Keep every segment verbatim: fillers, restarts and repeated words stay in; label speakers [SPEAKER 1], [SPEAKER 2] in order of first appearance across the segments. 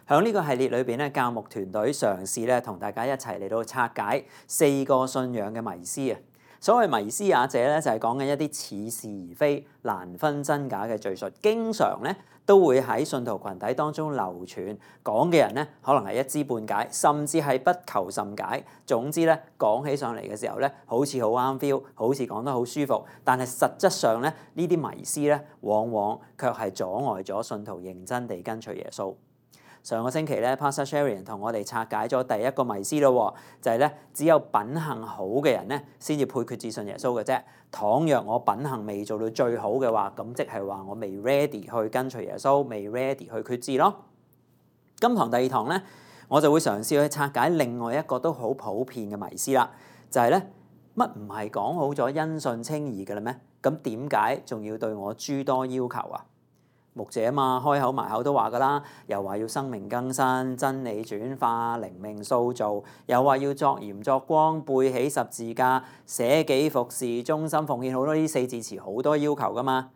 [SPEAKER 1] 喺呢個系列裏邊咧，教牧團隊嘗試咧同大家一齊嚟到拆解四個信仰嘅迷思啊！所謂迷思也者咧，就係講緊一啲似是而非、難分真假嘅敘述，經常咧都會喺信徒群體當中流傳。講嘅人咧，可能係一知半解，甚至係不求甚解。總之咧，講起上嚟嘅時候咧，好似好啱 feel，好似講得好舒服，但係實質上咧，呢啲迷思咧，往往卻係阻礙咗信徒認真地跟隨耶穌。上個星期咧 Pastor Sherian 同我哋拆解咗第一個迷思咯，就係咧只有品行好嘅人咧，先至配決志信耶穌嘅啫。倘若我品行未做到最好嘅話，咁即係話我未 ready 去跟隨耶穌，未 ready 去決志咯。今堂第二堂咧，我就會嘗試去拆解另外一個都好普遍嘅迷思啦，就係咧乜唔係講好咗因信稱義嘅啦咩？咁點解仲要對我諸多要求啊？牧者啊嘛，開口埋口都話噶啦，又話要生命更新、真理轉化、靈命塑造，又話要作鹽作光、背起十字架、捨己服侍、忠心奉獻，好多呢四字詞好多要求噶嘛。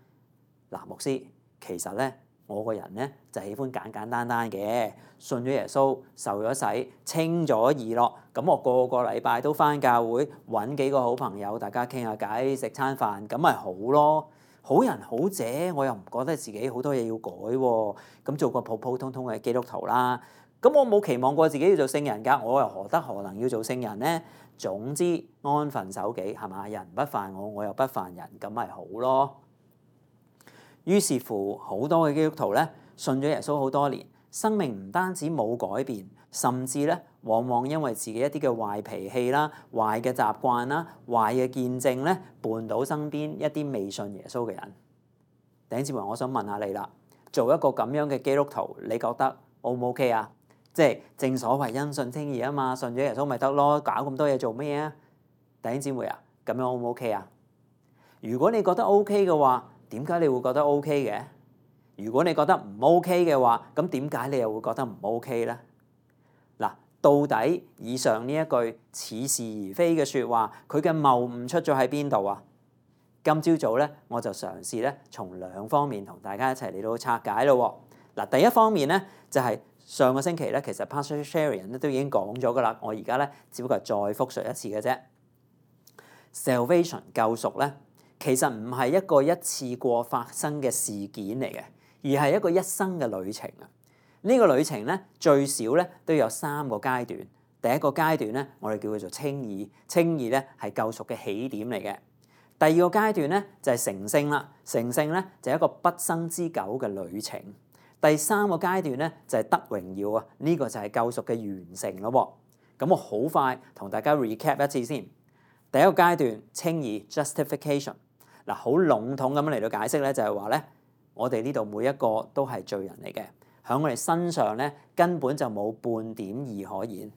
[SPEAKER 1] 嗱，牧師，其實咧我個人咧就喜歡簡簡單單嘅，信咗耶穌、受咗洗、稱咗義咯，咁我個個禮拜都返教會，揾幾個好朋友，大家傾下偈、食餐飯，咁咪好咯。好人好姐，我又唔覺得自己好多嘢要改喎，咁做個普普通通嘅基督徒啦。咁我冇期望過自己要做聖人㗎，我又何德何能要做聖人呢？總之安分守己係嘛，人不犯我，我又不犯人，咁咪好咯。於是乎，好多嘅基督徒咧，信咗耶穌好多年，生命唔單止冇改變，甚至咧，往往因為自己一啲嘅壞脾氣啦、壞嘅習慣啦、壞嘅見證咧，絆倒身邊一啲未信耶穌嘅人。弟兄姊妹，我想問下你啦，做一個咁樣嘅基督徒，你覺得 O 唔 OK 啊？即係正所謂因信稱義啊嘛，信咗耶穌咪得咯，搞咁多嘢做咩啊？弟兄姊妹啊，咁樣 O 唔 OK 啊？如果你覺得 OK 嘅話，點解你會覺得 OK 嘅？如果你覺得唔 OK 嘅話，咁點解你又會覺得唔 OK 咧？嗱，到底以上呢一句似是而非嘅説話，佢嘅謬誤出咗喺邊度啊？今朝早咧，我就嘗試咧從兩方面同大家一齊嚟到拆解咯。嗱，第一方面咧就係、是、上個星期咧，其實 Pastor Sherian 咧都已經講咗噶啦，我而家咧只不過係再復述一次嘅啫。Salvation 救贖咧，其實唔係一個一次過發生嘅事件嚟嘅，而係一個一生嘅旅程啊！呢個旅程咧最少咧都有三個階段。第一個階段咧，我哋叫佢做稱義，稱義咧係救贖嘅起點嚟嘅。第二個階段咧就係成聖啦，成聖咧就係一個畢生之久嘅旅程。第三個階段咧就係得榮耀啊！呢個就係救贖嘅完成咯。咁我好快同大家 recap 一次先。第一個階段稱義 justification， 嗱，好籠統咁樣嚟到解釋咧，就係話咧，我哋呢度每一個都係罪人嚟嘅，喺我哋身上咧根本就冇半點義可言。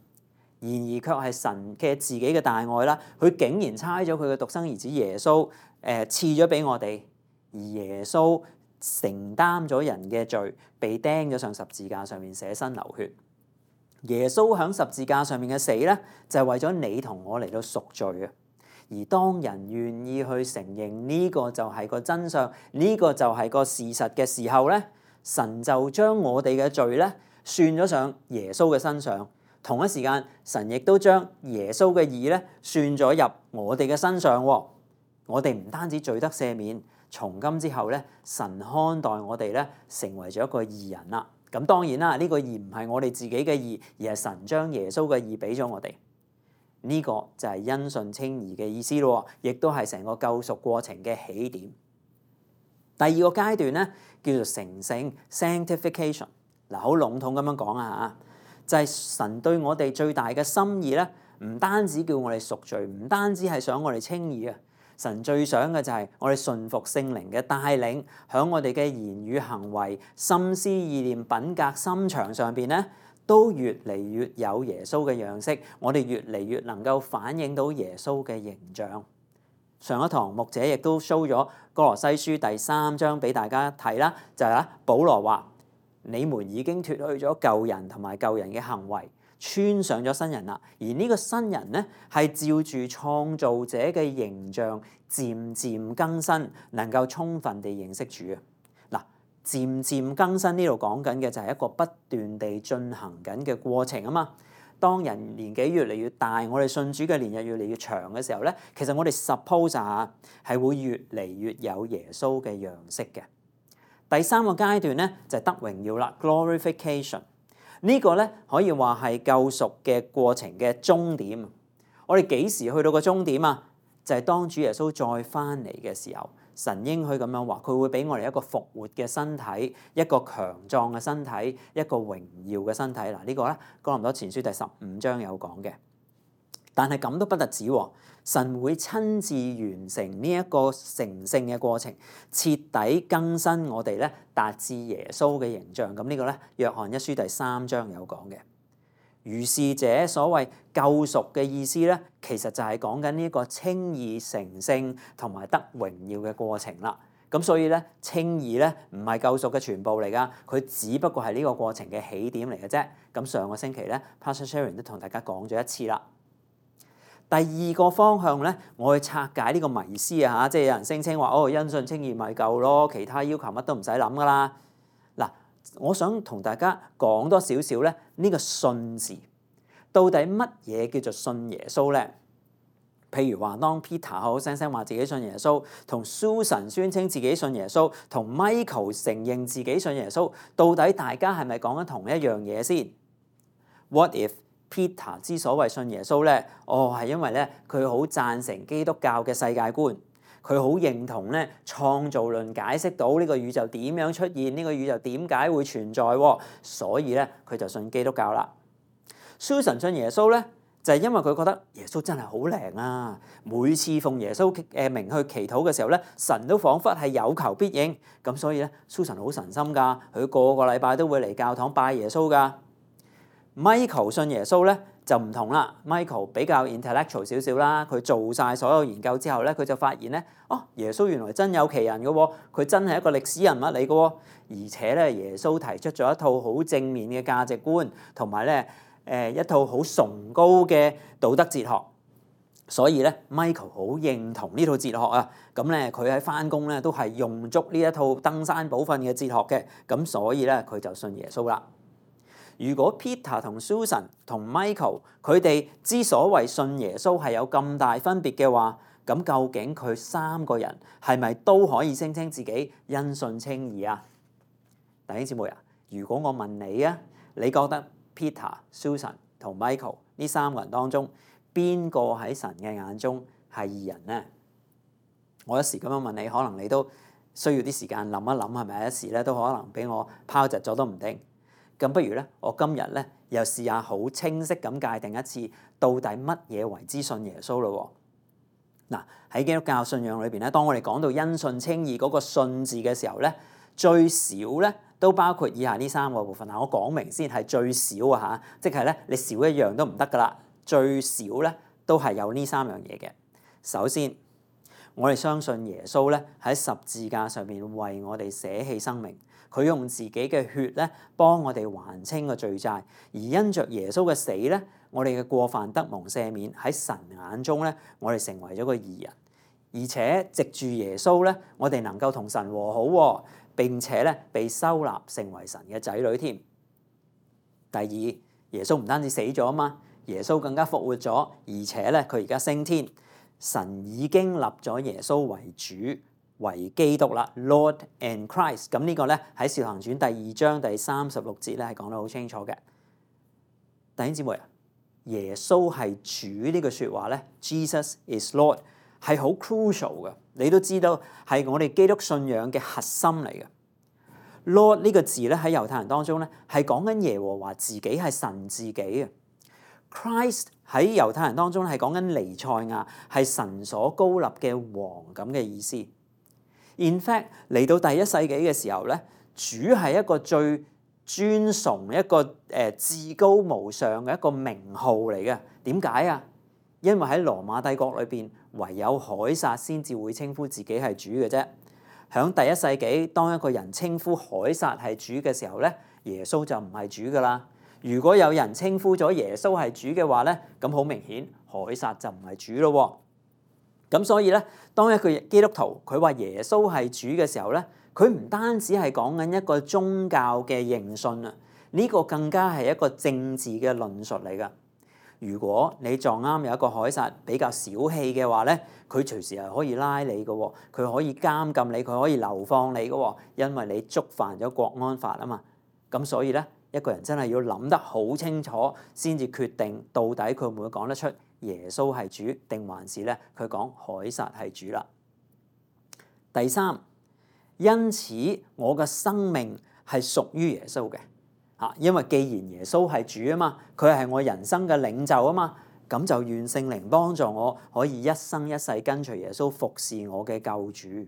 [SPEAKER 1] 然而卻係神嘅自己嘅大愛啦，佢竟然差咗佢嘅獨生兒子耶穌，誒賜咗俾我哋，而耶穌承擔咗人嘅罪，被釘咗上十字架上面捨身流血。耶穌喺十字架上面嘅死咧，就係為咗你同我嚟到贖罪啊！而當人願意去承認呢個就係個真相，呢個就係個事實嘅時候咧，神就將我哋嘅罪咧算咗上耶穌嘅身上。同一時間，神亦都將耶穌嘅義咧算咗入我哋嘅身上。我哋唔單止罪得赦免，從今之後咧，神看待我哋咧成為咗一個義人啦。咁當然啦，呢個義唔係我哋自己嘅義，而係神將耶穌嘅義俾咗我哋。呢個就係因信稱義嘅意思咯，亦都係成個救贖過程嘅起點。第二個階段咧叫做成聖 sanctification， 嗱，好籠統咁樣講啊嚇。就係神對我哋最大嘅心意咧，唔單止叫我哋贖罪，唔單止係想我哋稱義啊！神最想嘅就係我哋順服聖靈嘅帶領，響我哋嘅言語行為、心思意念、品格、心腸上邊咧，都越嚟越有耶穌嘅樣式，我哋越嚟越能夠反映到耶穌嘅形象。上一堂牧者亦都 show 咗哥羅西書第三章俾大家睇啦，就係啦，保羅話：你們已經脫去咗舊人同埋舊人嘅行為，穿上咗新人啦。而呢個新人咧，係照住創造者嘅形象，漸漸更新，能夠充分地認識主啊！嗱，漸漸更新呢度講緊嘅就係一個不斷地進行緊嘅過程啊嘛。當人年紀越嚟越大，我哋信主嘅年日越嚟越長嘅時候咧，其實我哋 suppose 下係會越嚟越有耶穌嘅樣式嘅。第三個階段咧就係得榮耀啦 ，glorification。呢個咧可以話係救贖嘅過程嘅終點。我哋幾時去到個終點啊？就係當主耶穌再翻嚟嘅時候，神應許咁樣話，佢會俾我哋一個復活嘅身體，一個強壯嘅身體，一個榮耀嘅身體。嗱，呢個咧哥林多前書第十五章有講嘅。但係咁都不特止喎，神會親自完成呢一個成聖嘅過程，徹底更新我哋咧，達至耶穌嘅形象。咁呢個咧，約翰一書第三章有講嘅。如是者所謂救贖嘅意思咧，其實就係講緊呢個稱義成聖同埋得榮耀嘅過程啦。咁所以咧，稱義咧唔係救贖嘅全部嚟噶，佢只不過係呢個過程嘅起點嚟嘅啫。咁上個星期咧 Pastor Sharon 都同大家講咗一次啦。第二個方向咧，我去拆解呢個迷思啊嚇，即係有人聲稱話哦，因信稱義咪夠咯，其他要求乜都唔使諗噶啦。嗱，我想同大家講多少少咧，呢個信字到底乜嘢叫做信耶穌咧？譬如話，當 Peter 好聲聲話自己信耶穌，同 Susan 宣稱自己信耶穌，同 Michael 承認自己信耶穌，到底大家係咪講緊同一樣嘢先 ？What if Peter 之所謂信耶穌咧，哦係因為咧佢好贊成基督教嘅世界觀，佢好認同咧創造論解釋到呢個宇宙點樣出現，呢個宇宙點解會存在，所以咧佢就信基督教啦。Susan 信耶穌咧，就係因為佢覺得耶穌真係好靈啊，每次奉耶穌誒名去祈禱嘅時候咧，神都彷彿係有求必應，咁所以咧 Susan 好神心㗎，佢個個禮拜都會嚟教堂拜耶穌㗎。Michael 信耶穌咧就唔同啦 ，Michael 比較 intellectual 少少啦，佢做晒所有研究之後咧，佢就發現咧，哦，耶穌原來真有其人嘅喎，佢真係一個歷史人物嚟嘅喎，而且咧耶穌提出咗一套好正面嘅價值觀，同埋咧誒一套好崇高嘅道德哲學，所以咧 Michael 好認同呢套哲學啊，咁咧佢喺返工咧都係用足呢一套登山寶訓嘅哲學嘅，咁所以咧佢就信耶穌啦。如果 Peter 同 Susan 同 Michael 佢哋之所謂信耶穌係有咁大分別嘅話，咁究竟佢三個人係咪都可以聲稱自己因信稱義啊？弟兄姊妹啊，如果我問你啊，你覺得 Peter、Susan 同 Michael 呢三個人當中邊個喺神嘅眼中係義人呢？我一時咁樣問你，可能你都需要啲時間諗一諗，係咪一時咧都可能俾我拋窒咗都唔定。咁不如咧，我今日咧又試下好清晰咁界定一次，到底乜嘢為之信耶穌咯？嗱，喺基督教信仰裏邊咧，當我哋講到因信稱義嗰個信字嘅時候咧，最少咧都包括以下呢三個部分。嗱，我講明先係最少啊嚇，即係咧你少一樣都唔得噶啦，最少咧都係有呢三樣嘢嘅。首先，我哋相信耶穌咧喺十字架上面為我哋捨棄生命。佢用自己嘅血咧，幫我哋還清個罪債，而因着耶穌嘅死咧，我哋嘅過犯得蒙赦免，喺神眼中咧，我哋成為咗個義人，而且藉住耶穌咧，我哋能夠同神和好，並且咧被收納成為神嘅仔女添。第二，耶穌唔單止死咗啊嘛，耶穌更加復活咗，而且咧佢而家升天，神已經立咗耶穌為主。為基督啦 ，Lord and Christ。咁呢個咧喺《使徒行傳》第二章第三十六節咧係講得好清楚嘅。弟兄姊妹啊，耶穌係主呢句説話咧 ，Jesus is Lord 係好 crucial 嘅。你都知道係我哋基督信仰嘅核心嚟嘅。Lord 呢個字咧喺猶太人當中咧係講緊耶和華自己係神自己啊。Christ 喺猶太人當中係講緊彌賽亞係神所膏立嘅王咁嘅意思。In fact 嚟到第一世紀嘅時候咧，主係一個最尊崇、一個誒、呃、至高無上嘅一個名號嚟嘅。點解啊？因為喺羅馬帝國裏邊，唯有凱撒先至會稱呼自己係主嘅啫。響第一世紀，當一個人稱呼凱撒係主嘅時候咧，耶穌就唔係主噶啦。如果有人稱呼咗耶穌係主嘅話咧，咁好明顯凱撒就唔係主咯。咁所以咧，當一個基督徒佢話耶穌係主嘅時候咧，佢唔單止係講緊一個宗教嘅認信啊，呢個更加係一個政治嘅論述嚟㗎。如果你撞啱有一個凱撒比較小氣嘅話咧，佢隨時係可以拉你嘅喎，佢可以監禁你，佢可以流放你嘅喎，因為你觸犯咗國安法啊嘛。咁所以咧，一個人真係要諗得好清楚，先至決定到底佢會唔會講得出耶穌係主，定還是咧佢講凱撒係主啦。第三，因此我嘅生命係屬於耶穌嘅。嚇，因為既然耶穌係主啊嘛，佢係我人生嘅領袖啊嘛，咁就願聖靈幫助我可以一生一世跟隨耶穌服侍我嘅救主。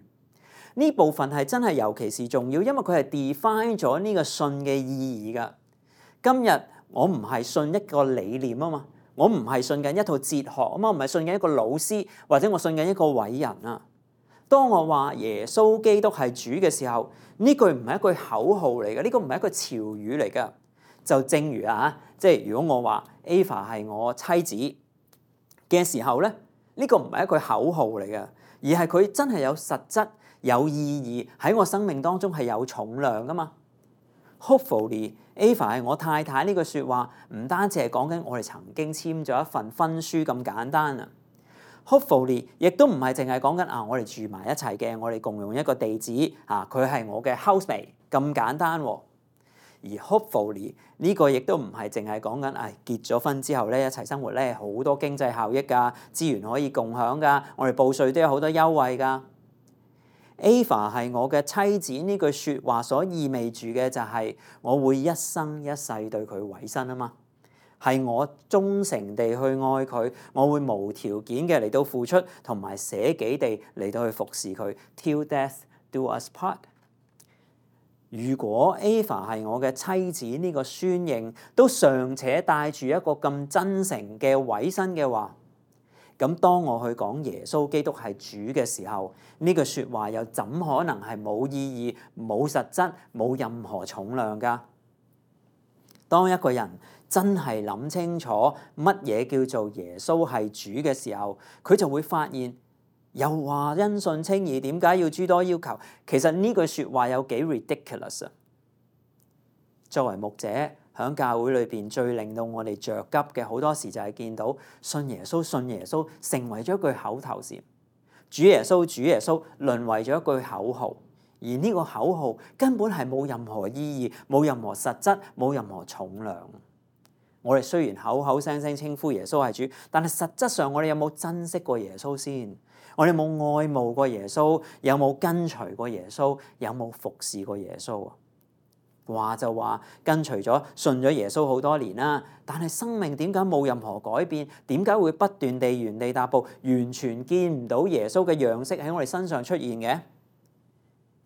[SPEAKER 1] 呢部分係真係尤其是重要，因為佢係 define 咗呢個信嘅意義㗎。今日我唔係信一個理念啊嘛，我唔係信緊一套哲學啊嘛，唔係信緊一個老師，或者我信緊一個偉人啊。當我話耶穌基督係主嘅時候，呢句唔係一句口號嚟嘅，呢個唔係一個潮語嚟㗎。就正如啊，即係如果我話 Ava 係我妻子嘅時候咧，呢個唔係一句口號嚟嘅，而係佢真係有實質、有意義喺我生命當中係有重量㗎嘛。Hopefully Ava 係我太太呢句説話，唔單止係講緊我哋曾經簽咗一份婚書咁簡單啊。Hopefully 亦都唔係淨係講緊啊，我哋住埋一齊嘅，我哋共用一個地址啊，佢係我嘅 housemate 咁簡單喎。而 hopefully 呢個亦都唔係淨係講緊誒結咗婚之後咧一齊生活咧好多經濟效益㗎，資源可以共享㗎，我哋報稅都有好多優惠㗎。Ava 係我嘅妻子呢句説話所意味住嘅就係我會一生一世對佢委身啊嘛。係我忠誠地去愛佢，我會無條件嘅嚟到付出，同埋捨己地嚟到去服侍佢 ，till death do us part。如果 Ava 係我嘅妻子呢個宣認都尚且帶住一個咁真誠嘅委身嘅話，咁當我去講耶穌基督係主嘅時候，呢句説話又怎可能係冇意義、冇實質、冇任何重量㗎？當一個人真係諗清楚乜嘢叫做耶穌係主嘅時候，佢就會發現，又話因信稱義，點解要諸多要求？其實呢句説話有幾 ridiculous 啊！作為牧者喺教會裏邊，最令到我哋着急嘅好多時就係見到信耶穌、信耶穌成為咗一句口頭禪，主耶穌、主耶穌淪為咗一句口號。而呢個口號根本係冇任何意義、冇任何實質、冇任何重量。我哋雖然口口聲聲稱呼耶穌係主，但係實質上我哋有冇珍惜過耶穌先？我哋有冇愛慕過耶穌？有冇跟隨過耶穌？有冇服侍過耶穌啊？話就話跟隨咗、信咗耶穌好多年啦，但係生命點解冇任何改變？點解會不斷地原地踏步，完全見唔到耶穌嘅樣式喺我哋身上出現嘅？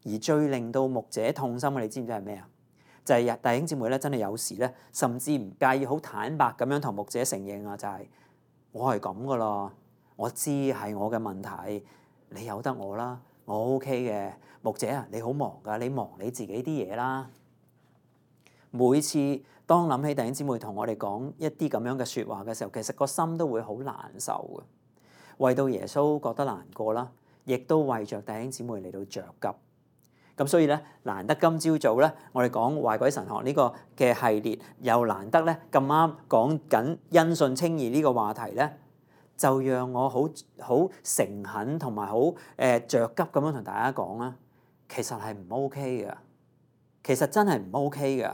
[SPEAKER 1] 而最令到牧者痛心嘅，你知唔知係咩啊？就係弟兄姊妹咧，真係有時咧，甚至唔介意好坦白咁樣同牧者承認啊，就係我係咁噶啦，我知係我嘅問題，你由得我啦，我 OK 嘅。牧者啊，你好忙噶，你忙你自己啲嘢啦。每次當諗起弟兄姊妹同我哋講一啲咁樣嘅説話嘅時候，其實個心都會好難受嘅，為到耶穌覺得難過啦，亦都為着弟兄姊妹嚟到着急。咁所以咧，難得今朝早咧，我哋講壞鬼神學呢個嘅系列，又難得咧咁啱講緊因信稱義呢個話題咧，就讓我好好誠懇同埋好誒著急咁樣同大家講啦。其實係唔 OK 嘅，其實真係唔 OK 嘅，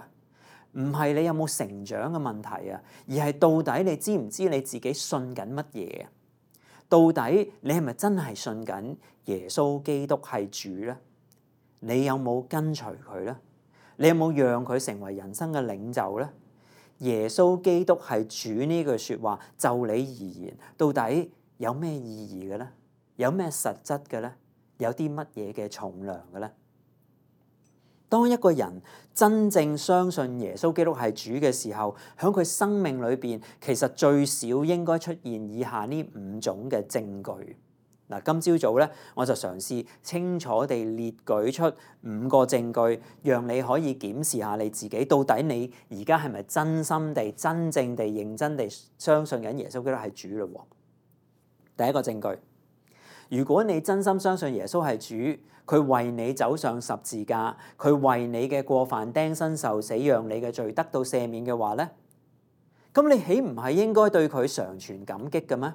[SPEAKER 1] 唔係你有冇成長嘅問題啊，而係到底你知唔知你自己信緊乜嘢啊？到底你係咪真係信緊耶穌基督係主咧？你有冇跟隨佢咧？你有冇讓佢成為人生嘅領袖咧？耶穌基督係主呢句説話，就你而言，到底有咩意義嘅咧？有咩實質嘅咧？有啲乜嘢嘅重量嘅咧？當一個人真正相信耶穌基督係主嘅時候，喺佢生命裏邊，其實最少應該出現以下呢五種嘅證據。嗱，今朝早咧，我就嘗試清楚地列舉出五個證據，讓你可以檢視下你自己，到底你而家係咪真心地、真正地、認真地相信緊耶穌基督係主嘞？第一個證據，如果你真心相信耶穌係主，佢為你走上十字架，佢為你嘅過犯釘身受死，讓你嘅罪得到赦免嘅話咧，咁你豈唔係應該對佢常存感激嘅咩？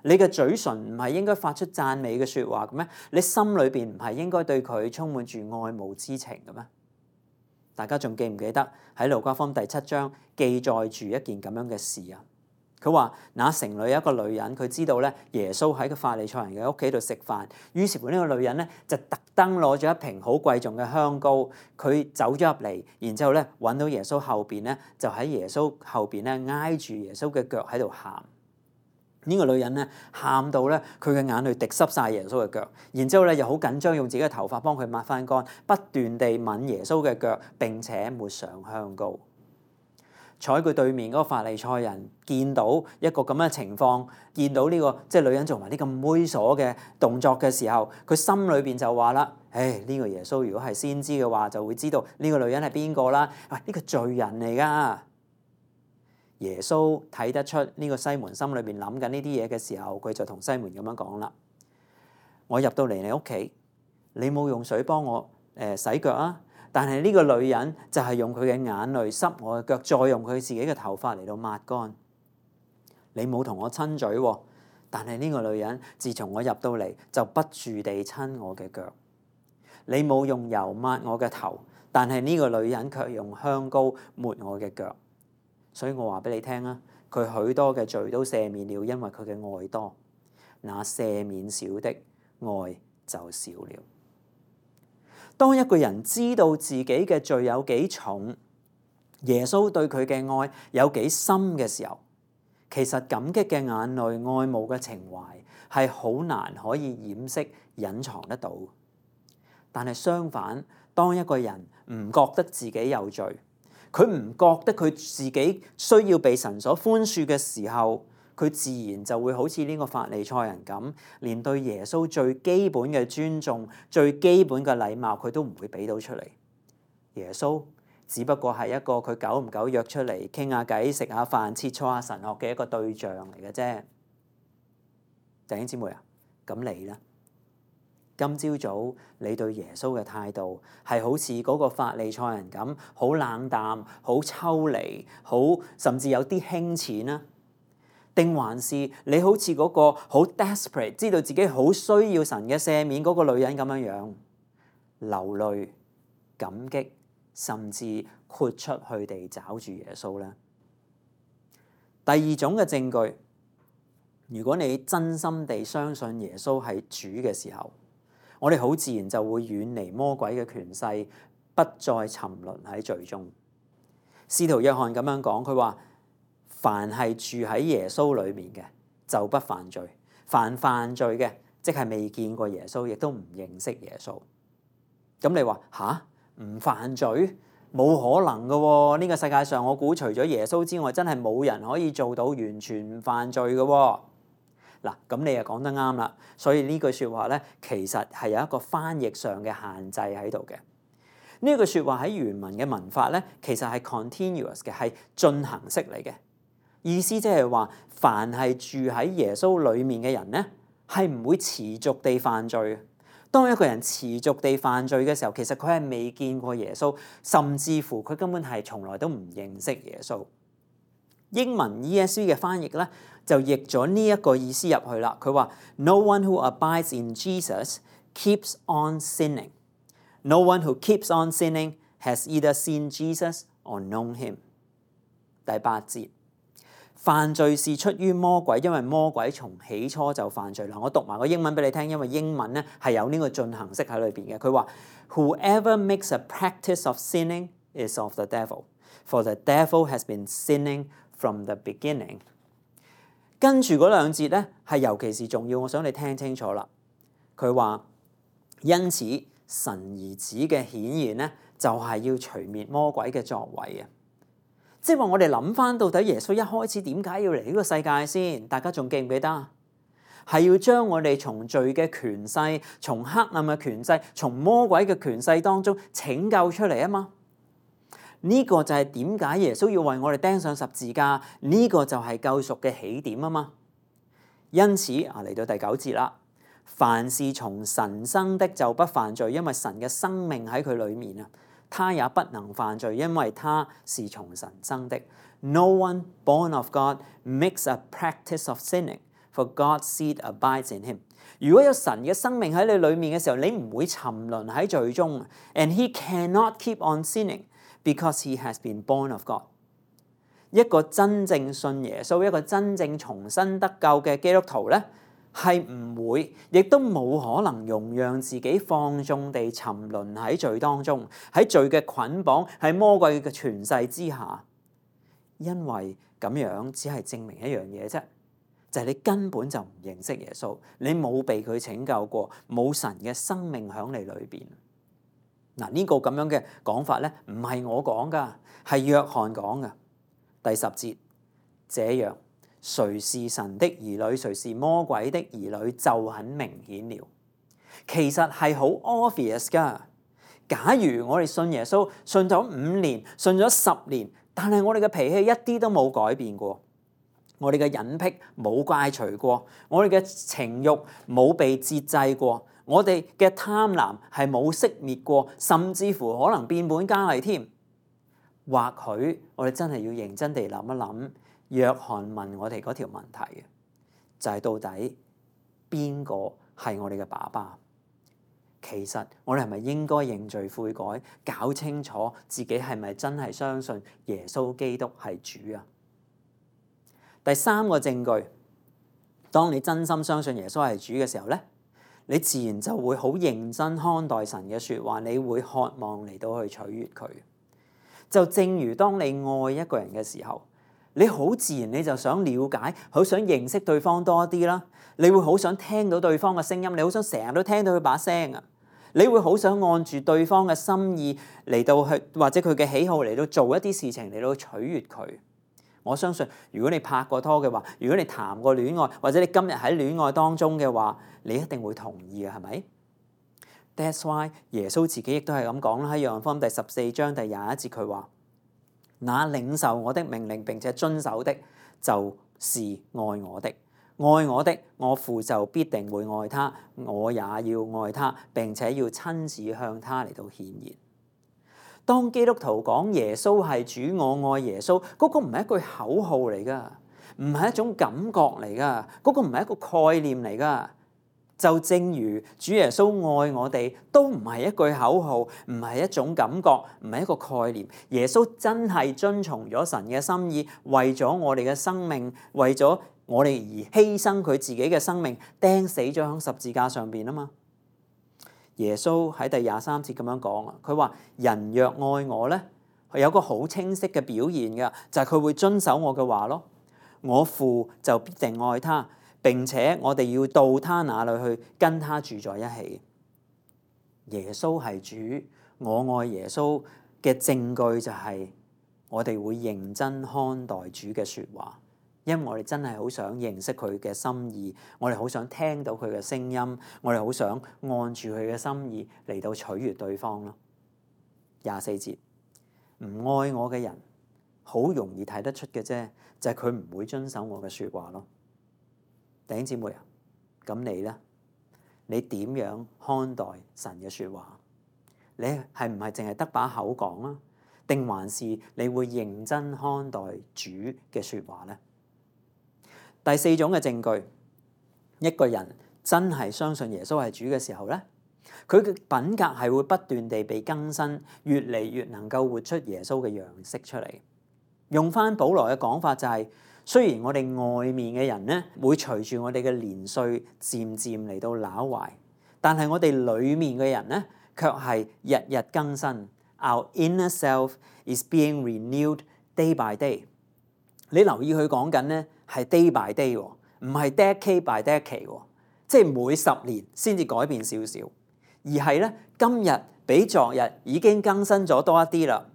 [SPEAKER 1] 你嘅嘴唇唔係應該發出讚美嘅説話嘅咩？你心裏邊唔係應該對佢充滿住愛慕之情嘅咩？大家仲記唔記得喺路加福音第七章記載住一件咁樣嘅事啊？佢話：那城裏有一個女人，佢知道咧耶穌喺個法利賽人嘅屋企度食飯，於是乎呢個女人咧就特登攞咗一瓶好貴重嘅香膏，佢走咗入嚟，然之後咧揾到耶穌後邊咧，就喺耶穌後邊咧挨住耶穌嘅腳喺度喊。呢個女人咧喊到咧佢嘅眼淚滴濕晒耶穌嘅腳，然之後咧又好緊張，用自己嘅頭髮幫佢抹翻乾，不斷地吻耶穌嘅腳，並且抹上香膏。坐喺佢對面嗰個法利賽人見到一個咁嘅情況，見到呢、這個即係女人做埋啲咁猥瑣嘅動作嘅時候，佢心裏邊就話啦：唉，呢、這個耶穌如果係先知嘅話，就會知道呢個女人係邊個啦。喂，呢個罪人嚟噶。耶穌睇得出呢個西門心裏邊諗緊呢啲嘢嘅時候，佢就同西門咁樣講啦：我入到嚟你屋企，你冇用水幫我誒、呃、洗腳啊！但係呢個女人就係用佢嘅眼淚濕我嘅腳，再用佢自己嘅頭髮嚟到抹乾。你冇同我親嘴喎，但係呢個女人自從我入到嚟就不住地親我嘅腳。你冇用油抹我嘅頭，但係呢個女人卻用香膏抹我嘅腳。所以我話俾你聽啊，佢許多嘅罪都赦免了，因為佢嘅愛多。那赦免少的，愛就少了。當一個人知道自己嘅罪有幾重，耶穌對佢嘅愛有幾深嘅時候，其實感激嘅眼淚、愛慕嘅情懷係好難可以掩飾、隱藏得到。但係相反，當一個人唔覺得自己有罪，佢唔覺得佢自己需要被神所寬恕嘅時候，佢自然就會好似呢個法利賽人咁，連對耶穌最基本嘅尊重、最基本嘅禮貌，佢都唔會俾到出嚟。耶穌只不過係一個佢久唔久約出嚟傾下偈、食下飯、切磋下神學嘅一個對象嚟嘅啫。弟兄姊妹啊，咁你呢？今朝早你對耶穌嘅態度係好似嗰個法利賽人咁，好冷淡、好抽離、好甚至有啲輕淺啊？定還是你好似嗰個好 desperate， 知道自己好需要神嘅赦免嗰個女人咁樣樣，流淚、感激，甚至豁出去地找住耶穌呢？第二種嘅證據，如果你真心地相信耶穌係主嘅時候，我哋好自然就會遠離魔鬼嘅權勢，不再沉淪喺罪中。使徒約翰咁樣講，佢話：凡係住喺耶穌裏面嘅，就不犯罪；凡犯罪嘅，即係未見過耶穌，亦都唔認識耶穌。咁你話吓？唔犯罪？冇可能噶喎！呢個世界上，我估除咗耶穌之外，真係冇人可以做到完全唔犯罪噶喎。嗱，咁你又講得啱啦。所以呢句説話咧，其實係有一個翻譯上嘅限制喺度嘅。呢句説話喺原文嘅文法咧，其實係 continuous 嘅，係進行式嚟嘅。意思即係話，凡係住喺耶穌裡面嘅人咧，係唔會持續地犯罪。當一個人持續地犯罪嘅時候，其實佢係未見過耶穌，甚至乎佢根本係從來都唔認識耶穌。英文 E S V 嘅翻譯咧，就譯咗呢一個意思入去啦。佢話 ：No one who abides in Jesus keeps on sinning. No one who keeps on sinning has either seen Jesus or known him. 第八節，犯罪是出於魔鬼，因為魔鬼從起初就犯罪。嗱，我讀埋個英文俾你聽，因為英文咧係有呢個進行式喺裏邊嘅。佢話 ：Whoever makes a practice of sinning is of the devil, for the devil has been sinning from the beginning。跟住嗰兩節咧係尤其是重要，我想你聽清楚啦。佢話：因此神兒子嘅顯現咧，就係要除滅魔鬼嘅作為啊！即係話我哋諗翻到底耶穌一開始點解要嚟呢個世界先？大家仲記唔記得？係要將我哋從罪嘅權勢、從黑暗嘅權勢、從魔鬼嘅權勢當中拯救出嚟啊嘛！呢個就係點解耶穌要為我哋釘上十字架？呢個就係救贖嘅起點啊嘛！因此啊，嚟到第九節啦，凡是從神生的就不犯罪，因為神嘅生命喺佢裏面啊。他也不能犯罪，因為他是從神生的。No one born of God makes a practice of sinning, for God's seed abides in him。如果有神嘅生命喺你裏面嘅時候，你唔會沉淪喺罪中。And he cannot keep on sinning because he has been born of God。一個真正信耶穌、一個真正重生得救嘅基督徒咧，係唔會，亦都冇可能容讓自己放縱地沉淪喺罪當中，喺罪嘅捆綁，喺魔鬼嘅權勢之下。因為咁樣只係證明一樣嘢啫，就係你根本就唔認識耶穌，你冇被佢拯救過，冇神嘅生命喺你裏邊。嗱，呢個咁樣嘅講法咧，唔係我講噶，係約翰講噶。第十節，這樣誰是神的兒女，誰是魔鬼的兒女，就很明顯了。其實係好 obvious 噶。假如我哋信耶穌，信咗五年，信咗十年，但係我哋嘅脾氣一啲都冇改變過，我哋嘅癮癖冇戒除過，我哋嘅情慾冇被節制過，我哋嘅貪婪係冇熄滅過，甚至乎可能變本加厲添。或許我哋真係要認真地諗一諗，約翰問我哋嗰條問題嘅，就係到底邊個係我哋嘅爸爸？其實我哋係咪應該認罪悔改，搞清楚自己係咪真係相信耶穌基督係主啊？第三個證據，當你真心相信耶穌係主嘅時候咧，你自然就會好認真看待神嘅說話，你會渴望嚟到去取悅佢。就正如當你愛一個人嘅時候，你好自然你就想了解，好想認識對方多啲啦。你會好想聽到對方嘅聲音，你好想成日都聽到佢把聲啊。你會好想按住對方嘅心意嚟到去，或者佢嘅喜好嚟到做一啲事情嚟到取悅佢。我相信如果你拍過拖嘅話，如果你談過戀愛，或者你今日喺戀愛當中嘅話，你一定會同意嘅，係咪？That's why 耶穌自己亦都係咁講啦，喺約翰福音第十四章第廿一節佢話：那領受我的命令並且遵守的，就是愛我的。愛我的，我父就必定會愛他，我也要愛他，並且要親自向他嚟到顯現。當基督徒講耶穌係主，我愛耶穌，嗰個唔係一句口號嚟噶，唔係一種感覺嚟噶，嗰個唔係一個概念嚟噶。就正如主耶穌愛我哋，都唔係一句口號，唔係一種感覺，唔係一個概念。耶穌真係遵從咗神嘅心意，為咗我哋嘅生命，為咗我哋而犧牲佢自己嘅生命，釘死咗喺十字架上邊啊嘛。耶穌喺第廿三節咁樣講啊，佢話人若愛我咧，有個好清晰嘅表現嘅，就係佢會遵守我嘅話咯。我父就必定愛他。並且我哋要到他那裏去，跟他住在一起。耶穌係主，我愛耶穌嘅證據就係我哋會認真看待主嘅說話，因為我哋真係好想認識佢嘅心意，我哋好想聽到佢嘅聲音，我哋好想按住佢嘅心意嚟到取悅對方咯。廿四節，唔愛我嘅人，好容易睇得出嘅啫，就係佢唔會遵守我嘅說話咯。弟兄姊妹啊，咁你咧？你點樣看待神嘅說話？你係唔係淨係得把口講啊？定還是你會認真看待主嘅說話咧？第四種嘅證據，一個人真係相信耶穌係主嘅時候咧，佢嘅品格係會不斷地被更新，越嚟越能夠活出耶穌嘅樣式出嚟。用翻保羅嘅講法就係，雖然我哋外面嘅人咧會隨住我哋嘅年歲漸漸嚟到朽壞，但係我哋裏面嘅人咧卻係日日更新。Our inner self is being renewed day by day。你留意佢講緊咧係 day by day，唔係 decade by decade，即係每十年先至改變少少，而係咧今日比昨日已經更新咗多一啲啦，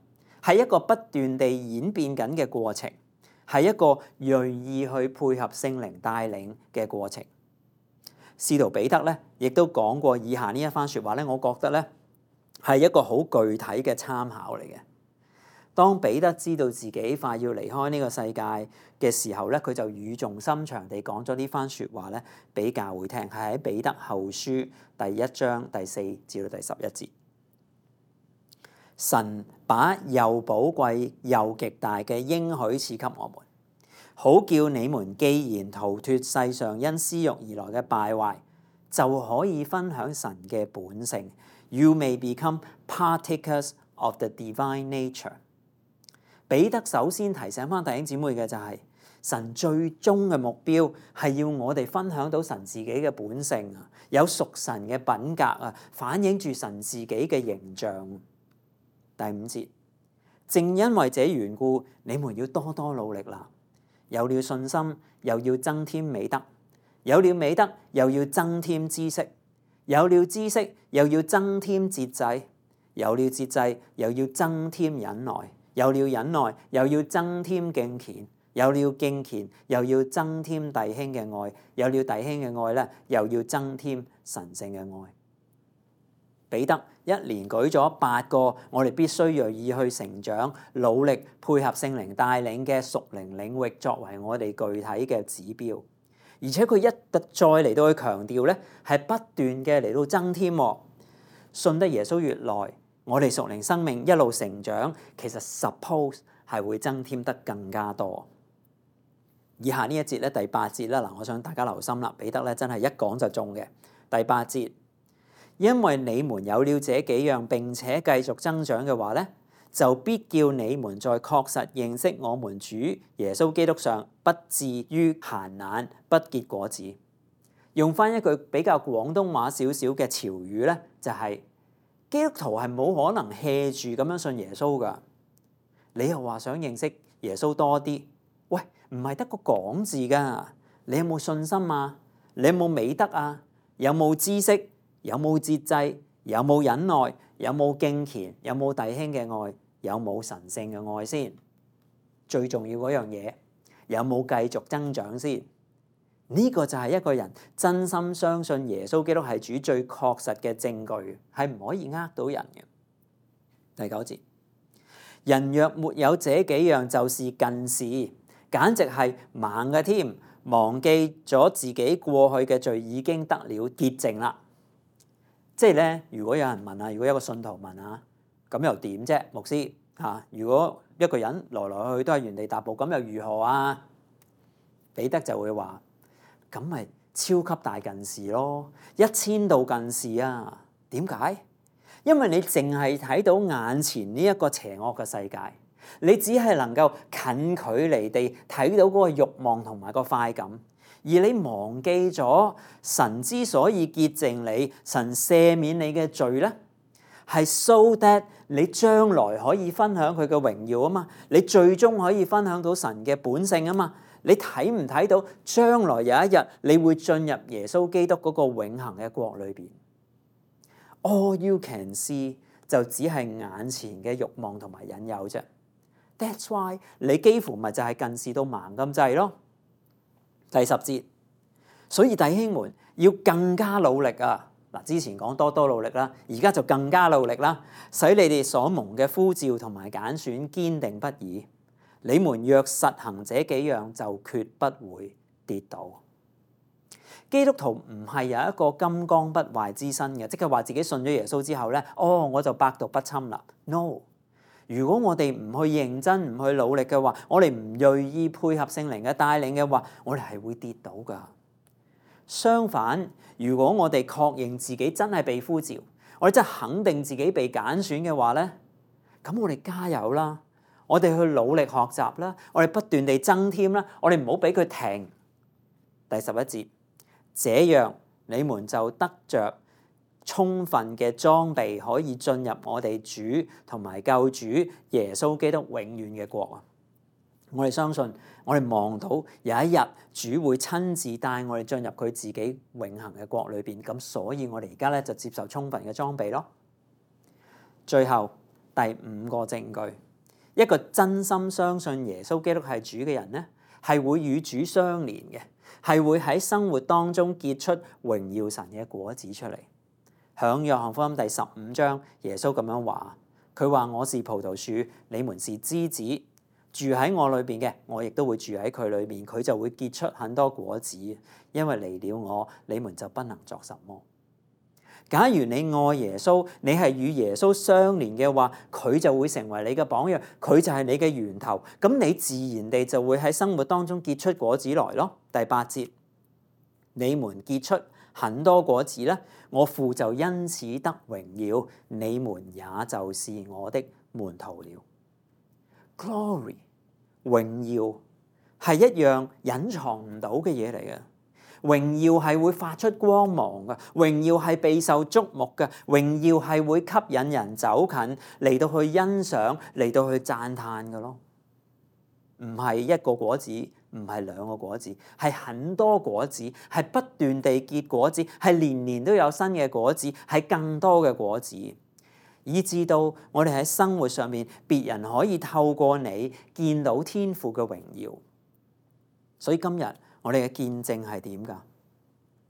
[SPEAKER 1] 係一個不斷地演變緊嘅過程。係一個銳意去配合聖靈帶領嘅過程。使徒彼得咧，亦都講過以下呢一番説話咧，我覺得咧係一個好具體嘅參考嚟嘅。當彼得知道自己快要離開呢個世界嘅時候咧，佢就語重心長地講咗呢番説話咧，俾教會聽，係喺彼得後書第一章第四至到第十一節。神把又寶貴又極大嘅應許賜給我們，好叫你們既然逃脫世上因私慾而來嘅敗壞，就可以分享神嘅本性。You may become partakers of the divine nature。彼得首先提醒翻弟兄姊妹嘅就係、是、神最終嘅目標係要我哋分享到神自己嘅本性啊，有屬神嘅品格啊，反映住神自己嘅形象。第五節，正因為這緣故，你們要多多努力啦。有了信心，又要增添美德；有了美德，又要增添知識；有了知識，又要增添節制；有了節制，又要增添忍耐；有了忍耐，又要增添敬虔；有了敬虔，又要增添弟兄嘅愛；有了弟兄嘅愛咧，又要增添神聖嘅愛。彼得一連舉咗八個我哋必須銳意去成長、努力配合聖靈帶領嘅屬靈領域，作為我哋具體嘅指標。而且佢一再嚟到去強調咧，係不斷嘅嚟到增添。信得耶穌越耐，我哋屬靈生命一路成長，其實 suppose 係會增添得更加多。以下呢一節咧，第八節啦，嗱，我想大家留心啦。彼得咧真係一講就中嘅。第八節。因為你們有了這幾樣並且繼續增長嘅話咧，就必叫你們在確實認識我們主耶穌基督上，不至於閒懶不結果子。用翻一句比較廣東話少少嘅潮語咧，就係、是、基督徒係冇可能 hea 住咁樣信耶穌噶。你又話想認識耶穌多啲，喂，唔係得個講字噶。你有冇信心啊？你有冇美德啊？有冇知識？有冇節制？有冇忍耐？有冇敬虔？有冇弟兄嘅愛？有冇神聖嘅愛先？最重要嗰樣嘢，有冇繼續增長先？呢個就係一個人真心相信耶穌基督係主最確實嘅證據，係唔可以呃到人嘅。第九節，人若沒有這幾樣，就是近視，簡直係盲嘅添，忘記咗自己過去嘅罪已經得了潔淨啦。即係咧，如果有人問啊，如果一個信徒問啊，咁又點啫？牧師嚇、啊，如果一個人來來去去都係原地踏步，咁又如何啊？彼得就會話：咁咪超級大近視咯，一千度近視啊！點解？因為你淨係睇到眼前呢一個邪惡嘅世界，你只係能夠近距離地睇到嗰個慾望同埋個快感。而你忘記咗神之所以潔淨你，神赦免你嘅罪咧，係 so that 你將來可以分享佢嘅榮耀啊嘛，你最終可以分享到神嘅本性啊嘛。你睇唔睇到將來有一日你會進入耶穌基督嗰個永恆嘅國裏邊？ All you can see 就只係眼前嘅慾望同埋引誘啫。That's why 你幾乎咪就係近視到盲咁滯咯。第十節，所以弟兄們要更加努力啊！嗱，之前講多多努力啦，而家就更加努力啦，使你哋所蒙嘅呼召同埋揀選堅定不移。你們若實行這幾樣，就決不會跌倒。基督徒唔係有一個金剛不壞之身嘅，即係話自己信咗耶穌之後咧，哦，我就百毒不侵啦。No。如果我哋唔去認真、唔去努力嘅話，我哋唔銳意配合聖靈嘅帶領嘅話，我哋係會跌倒噶。相反，如果我哋確認自己真係被呼召，我哋真係肯定自己被揀選嘅話咧，咁我哋加油啦，我哋去努力學習啦，我哋不斷地增添啦，我哋唔好俾佢停。第十一節，這樣你們就得着充分嘅裝備，可以進入我哋主同埋救主耶穌基督永遠嘅國啊！我哋相信，我哋望到有一日主會親自帶我哋進入佢自己永恆嘅國裏邊，咁所以我哋而家咧就接受充分嘅裝備咯。最後第五個證據，一個真心相信耶穌基督係主嘅人咧，係會與主相連嘅，係會喺生活當中結出榮耀神嘅果子出嚟。響約翰福音第十五章，耶穌咁樣話，佢話我是葡萄樹，你們是枝子，住喺我裏邊嘅，我亦都會住喺佢裏面，佢就會結出很多果子。因為離了我，你們就不能作什麼。假如你愛耶穌，你係與耶穌相連嘅話，佢就會成為你嘅榜樣，佢就係你嘅源頭，咁你自然地就會喺生活當中結出果子來咯。第八節，你們結出很多果子咧，我父就因此得榮耀，你們也就是我的門徒了。Glory， 榮耀係一樣隱藏唔到嘅嘢嚟嘅。榮耀係會發出光芒嘅，榮耀係備受矚目嘅，榮耀係會吸引人走近嚟到去欣賞，嚟到去讚嘆嘅咯。唔係一個果子，唔係兩個果子，係很多果子，係不斷地結果子，係年年都有新嘅果子，係更多嘅果子，以至到我哋喺生活上面，別人可以透過你見到天父嘅榮耀。所以今日我哋嘅見證係點㗎？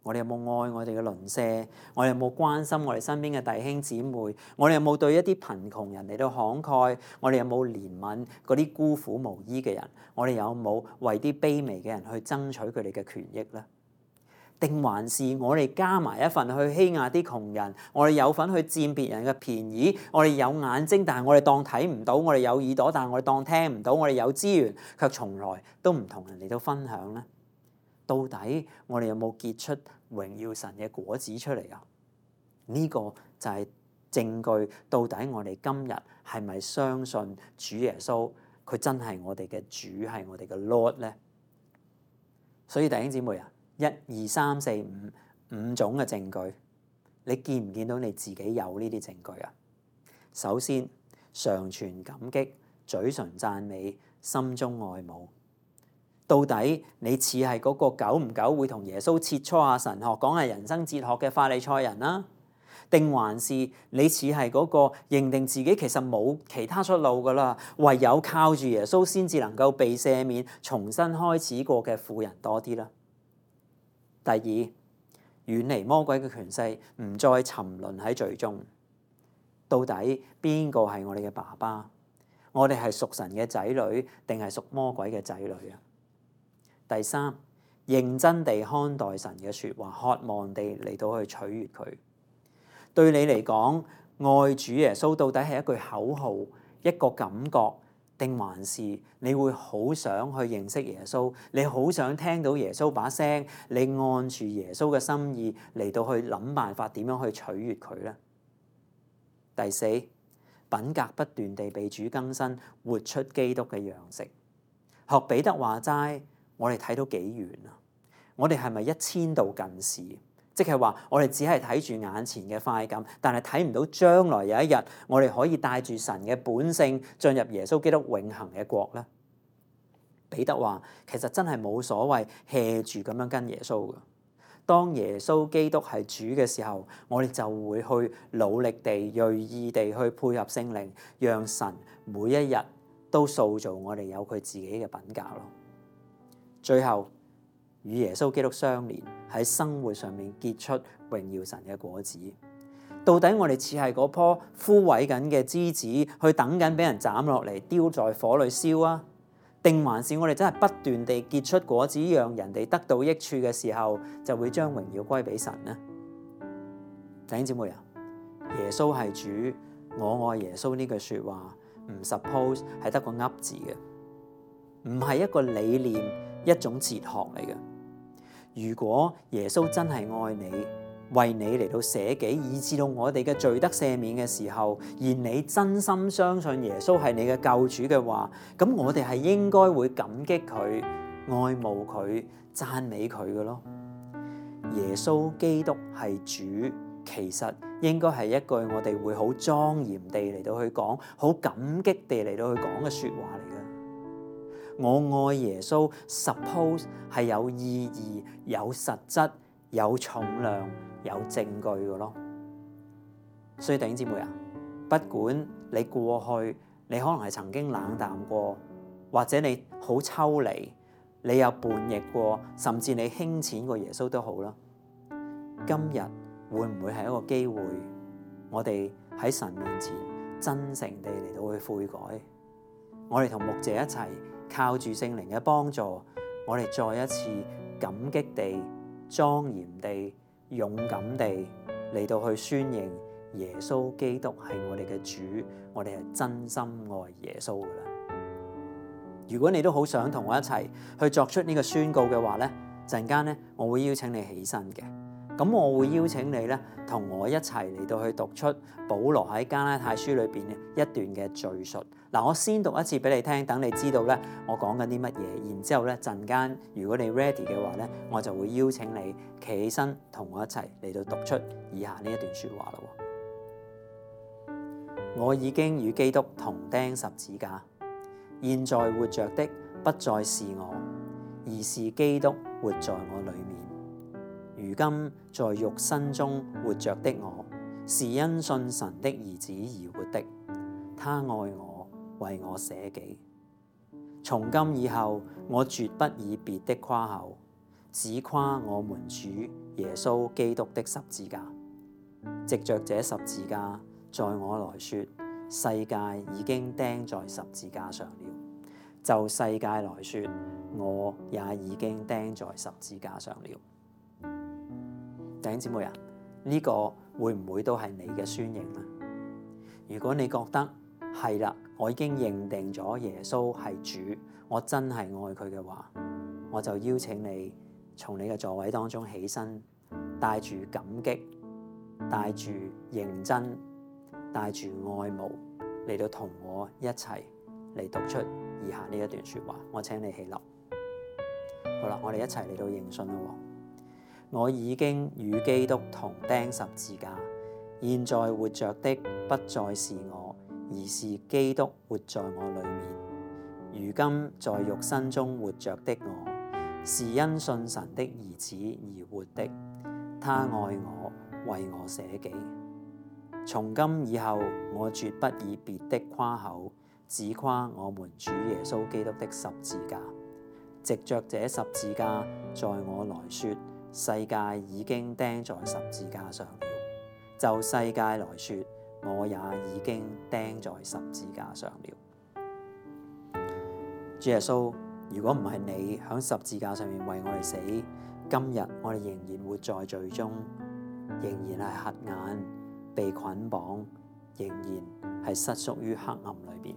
[SPEAKER 1] 我哋有冇愛我哋嘅鄰舍？我哋有冇關心我哋身邊嘅弟兄姊妹？我哋有冇對一啲貧窮人嚟到慷慨？我哋有冇憐憫嗰啲孤苦無依嘅人？我哋有冇為啲卑微嘅人去爭取佢哋嘅權益咧？定還是我哋加埋一份去欺壓啲窮人？我哋有份去佔別人嘅便宜？我哋有眼睛，但係我哋當睇唔到；我哋有耳朵，但係我哋當聽唔到；我哋有資源，卻從來都唔同人嚟到分享咧？到底我哋有冇結出榮耀神嘅果子出嚟啊？呢個就係證據，到底我哋今日係咪相信主耶穌佢真係我哋嘅主，係我哋嘅 Lord 咧？所以弟兄姊妹啊，一二三四五五種嘅證據，你見唔見到你自己有呢啲證據啊？首先，常存感激，嘴唇讚美，心中愛慕。到底你似係嗰個久唔久會同耶穌切磋下神學、講下人生哲學嘅法利賽人啦？定還是你似係嗰個認定自己其實冇其他出路噶啦，唯有靠住耶穌先至能夠被赦免、重新開始過嘅婦人多啲啦？第二，遠離魔鬼嘅權勢，唔再沉淪喺罪中。到底邊個係我哋嘅爸爸？我哋係屬神嘅仔女，定係屬魔鬼嘅仔女啊？第三，認真地看待神嘅説話，渴望地嚟到去取悅佢。對你嚟講，愛主耶穌到底係一句口號、一個感覺，定還是你會好想去認識耶穌？你好想聽到耶穌把聲，你按住耶穌嘅心意嚟到去諗辦法點樣去取悅佢咧？第四，品格不斷地被主更新，活出基督嘅樣式。學彼得話齋。我哋睇到幾遠啊？我哋係咪一千度近視？即係話我哋只係睇住眼前嘅快感，但係睇唔到將來有一日我哋可以帶住神嘅本性進入耶穌基督永恆嘅國咧？彼得話：其實真係冇所謂 hea 住咁樣跟耶穌嘅。當耶穌基督係主嘅時候，我哋就會去努力地、鋭意地去配合聖靈，讓神每一日都塑造我哋有佢自己嘅品格咯。最後，與耶穌基督相連，喺生活上面結出榮耀神嘅果子。到底我哋似係嗰棵枯萎緊嘅枝子，去等緊俾人斬落嚟丟在火裏燒啊？定還是我哋真係不斷地結出果子，讓人哋得到益處嘅時候，就會將榮耀歸俾神呢？弟兄姊妹啊，耶穌係主，我愛耶穌呢句説話，唔 suppose 係得個噏字嘅，唔係一個理念。一種哲學嚟嘅。如果耶穌真係愛你，為你嚟到捨己，以致到我哋嘅罪得赦免嘅時候，而你真心相信耶穌係你嘅救主嘅話，咁我哋係應該會感激佢、愛慕佢、讚美佢嘅咯。耶穌基督係主，其實應該係一句我哋會好莊嚴地嚟到去講，好感激地嚟到去講嘅説話嚟嘅。我愛耶穌 suppose 係有意義、有實質、有重量、有證據嘅咯。所以弟兄姊妹啊，不管你過去你可能係曾經冷淡過，或者你好抽離，你有叛逆過，甚至你輕淺過耶穌都好啦。今日會唔會係一個機會，我哋喺神面前真誠地嚟到去悔改。我哋同牧者一齊靠住聖靈嘅幫助，我哋再一次感激地、莊嚴地、勇敢地嚟到去宣認耶穌基督係我哋嘅主，我哋係真心愛耶穌噶啦。如果你都好想同我一齊去作出呢個宣告嘅話咧，陣間咧我會邀請你起身嘅。咁我會邀請你咧，同我一齊嚟到去讀出保羅喺加拉太書裏邊嘅一段嘅敘述。嗱，我先讀一次俾你聽，等你知道咧我講緊啲乜嘢。然之後咧陣間，如果你 ready 嘅話咧，我就會邀請你企起身，同我一齊嚟到讀出以下呢一段説話啦。我已經與基督同釘十字架，現在活着的不再是我，而是基督活在我裡面。如今在肉身中活着的我，是因信神的兒子而活的。他愛我，為我捨己。從今以後，我絕不以別的誇口，只誇我們主耶穌基督的十字架。藉着這十字架，在我來說，世界已經釘在十字架上了；就世界來說，我也已經釘在十字架上了。弟兄姊妹啊，呢個會唔會都係你嘅宣認呢？如果你覺得係啦，我已經認定咗耶穌係主，我真係愛佢嘅話，我就邀請你從你嘅座位當中起身，帶住感激、帶住認真、帶住愛慕嚟到同我一齊嚟讀出以下呢一段說話。我請你起立。好啦，我哋一齊嚟到認信啦。我已經與基督同釘十字架，現在活着的不再是我，而是基督活在我裡面。如今在肉身中活着的我，是因信神的兒子而活的。他愛我，為我捨己。從今以後，我絕不以別的誇口，只誇我們主耶穌基督的十字架。藉着這十字架，在我來說，世界已經釘在十字架上了；就世界來說，我也已經釘在十字架上了。主耶穌，如果唔係你響十字架上面為我哋死，今日我哋仍然活在罪中，仍然係瞎眼、被捆綁，仍然係失足於黑暗裏邊。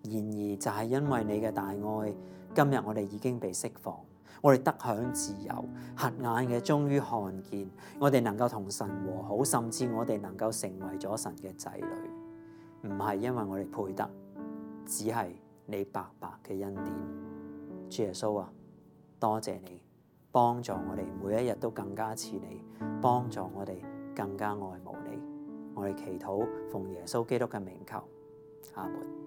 [SPEAKER 1] 然而就係因為你嘅大愛，今日我哋已經被釋放。我哋得享自由，瞎眼嘅終於看見，我哋能夠同神和好，甚至我哋能夠成為咗神嘅仔女，唔係因為我哋配得，只係你白白嘅恩典。主耶穌啊，多謝你幫助我哋每一日都更加似你，幫助我哋更加愛慕你。我哋祈禱奉耶穌基督嘅名求，阿門。